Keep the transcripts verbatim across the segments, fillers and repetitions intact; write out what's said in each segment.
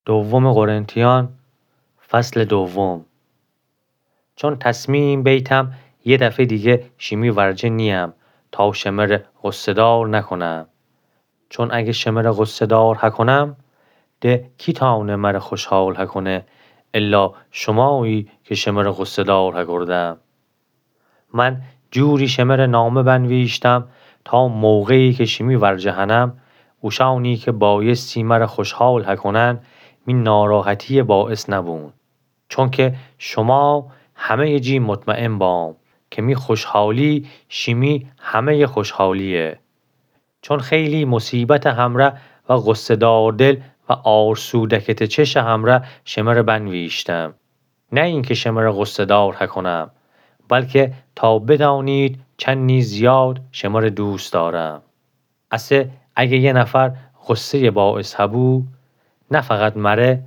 دوم قرنتیان، فصل دوم. چون تصمیم بیتم یه دفه دیگه شیمی ورجه نییم تا شمره غصه‌دار نکنم. چون اگه شمره غصه‌دار هکنم، ده کی تانه مره خوشحال هکنه الا شمایی که شمره غصه‌دار هکردم؟ من جوری شمره نامه بنویشتم تا موقعی که شیمی ورجه هنم، اوشانی که بایستی مره خوشحال هکنن، می ناراحتی باعث نبون. چونکه شما همهٔ جی مطمئن بام که می خوشحالی شیمی همهٔ خوشحالیه. چون خیلی مصیبت همره و غصه‌دار دل و آرسو دکته چش همره شمره بنویشتم. نه اینکه شمره غصه‌دار هکنم، بلکه تا بدانید چنی زیاد شمره دوست دارم. اسه اگه یه نفر غصهٔ باعث هبو، نه فقط مره،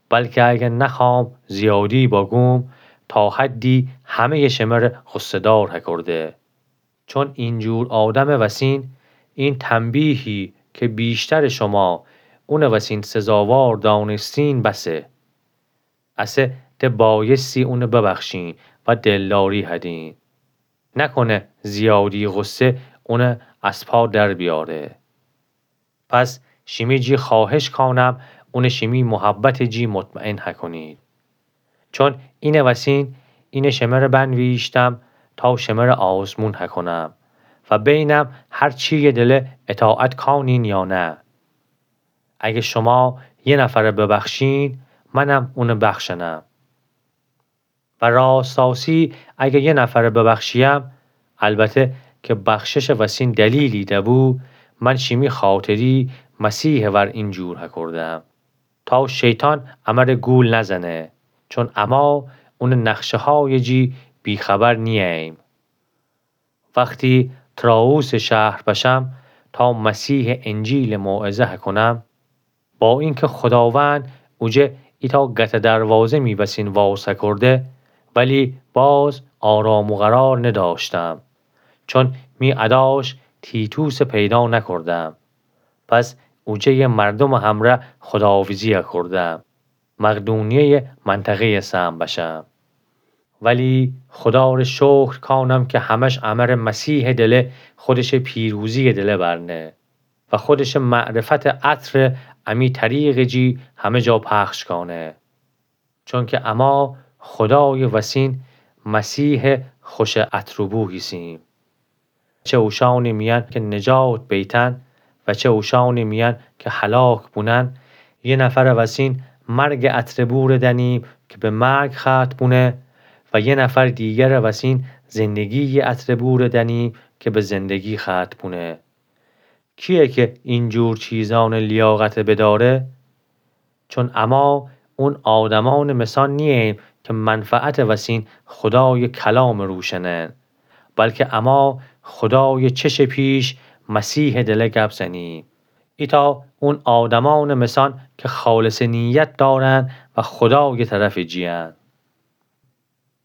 بلکه اگه نخوام زیادی باگوم، تا حدی همهٔ شمره غصه‌دار هکرده. چون اینجور آدم وسین، این تنبیهی که بیشتر شما اون وسین سزاوار دانستین بسه. اسه ده بایستی اون ببخشین و دلداری هدین. نکنه زیادی غصه اون از پا در بیاره. پس شیمی جی خواهش کانم اون شیمی محبت جی مطمئن هکنید. چون اینه وسین، اینه شمره بنویشتم تا شمره آزمون هکنم و بینم هر چی یه دله اطاعت کانین یا نه. اگه شما یه نفره ببخشین، منم اونه بخشنم. و راستاسی اگه یه نفره ببخشیم، البته که بخشش وسین دلیلی دبو، من شیمی خاطری مسیح ور اینجور هکردم، تا شیطان امره گول نزنه، چون اما اون نقشه‌های جی بیخبر نییم. وقتی طرائوس شهر بشم تا مسیح انجیل موعظه هکنم، با اینکه خداوند اوجه ایتا گته دروازه می وسین واز هکرده، ولی باز آرام و قرار نداشتم، چون می اداش تیتوس پیدا نکردم. پس اوجه یه مردم همره خداحافظی هکردم. مقدونیهٔ منطقهٔ سم بشم. ولی خدا ره شکر کانم که همش امره مسیح دله خودش پیروزی دله برنه و خودش معرفت عطر امی طریق جی همه جا پخش کانه. چونکه اما خدای وسین مسیح خوش عطر و بو هیسیم. چه اوشانی میان که نجات بیتن و چه اوشانی میان که هلاک بونن، یه نفر وسین مرگ عطر بور دنیم که به مرگ ختم بونه و یه نفر دیگر وسین زندگی عطر بور دنیم که به زندگی ختم بونه. کیه که اینجور چیزان لیاقت بداره؟ چون اما اون آدمان مثان نییم که منفعت وسین خدای کلام روشنن، بلکه اما خدای چش پیش مسیح دله گپ زنیم. ایتا اون آدمان مثان که خالص نیت دارن و خدای طرف جیان.